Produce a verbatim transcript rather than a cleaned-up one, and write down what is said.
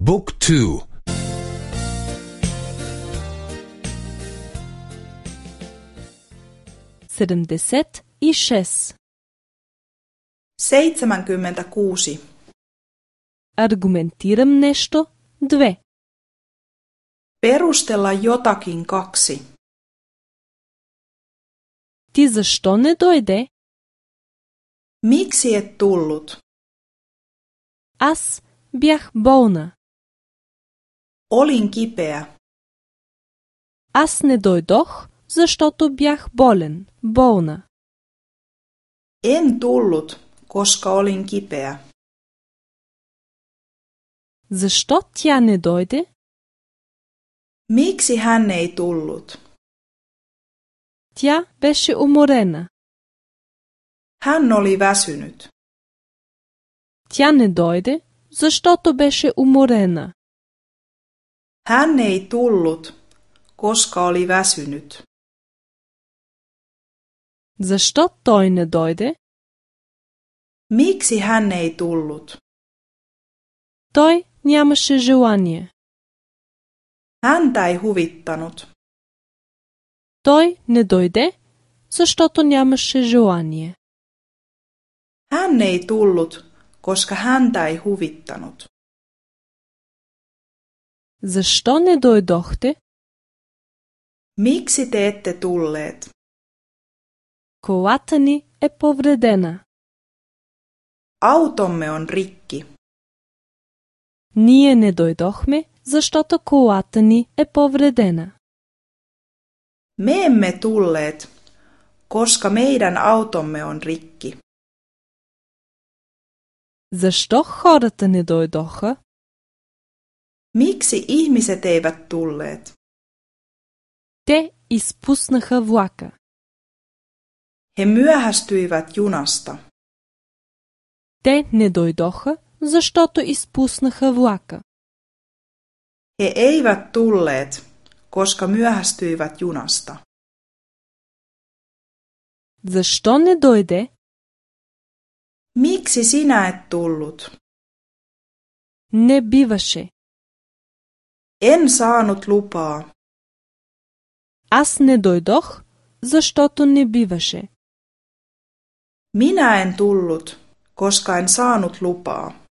Book two. sedamdeset i šest. seitsemänkymmentäkuusi. Argumentiram nešto dve. Perustella jotakin kaksi. Ti zašto ne dojde? Miksi et tullut? Аз бях болна. Olin kipeä. Аз не дойдох, защото бях болен, болна. En tullut, koska olin kipeä. Защо тя не дойде? Miksi hän ei tullut? Тя беше уморена. Hän oli väsynyt. Тя не дойде, защото беше уморена. Hän ei tullut, koska oli väsynyt. Защо той не дойде? Miksi hän ei tullut? Той нямаше желание. Häntä ei huvittanut. Той не дойде, защото нямаше желание. Hän ei tullut, koska häntä ei huvittanut. Защо не дойдохте? Miksi te ette tulleet? Колата ни е повредена. Automme on rikki. Ние не дойдохме, защото колата ни е повредена. Me emme tulleet, koska meidän automme on rikki. Защо хората не дойдоха? Miksi ihmiset eivät tulleet? Те изпуснаха влака. He myöhästyivät junasta. Те не дойдоха, защото изпуснаха влака. He eivät tulleet, koska myöhästyivät junasta. Защо не дойде? Miksi sinä et tullut? Не биваше. En saanut lupaa. Аз не дойдох, защото не биваше. Minä en tullut, koska en saanut lupaa.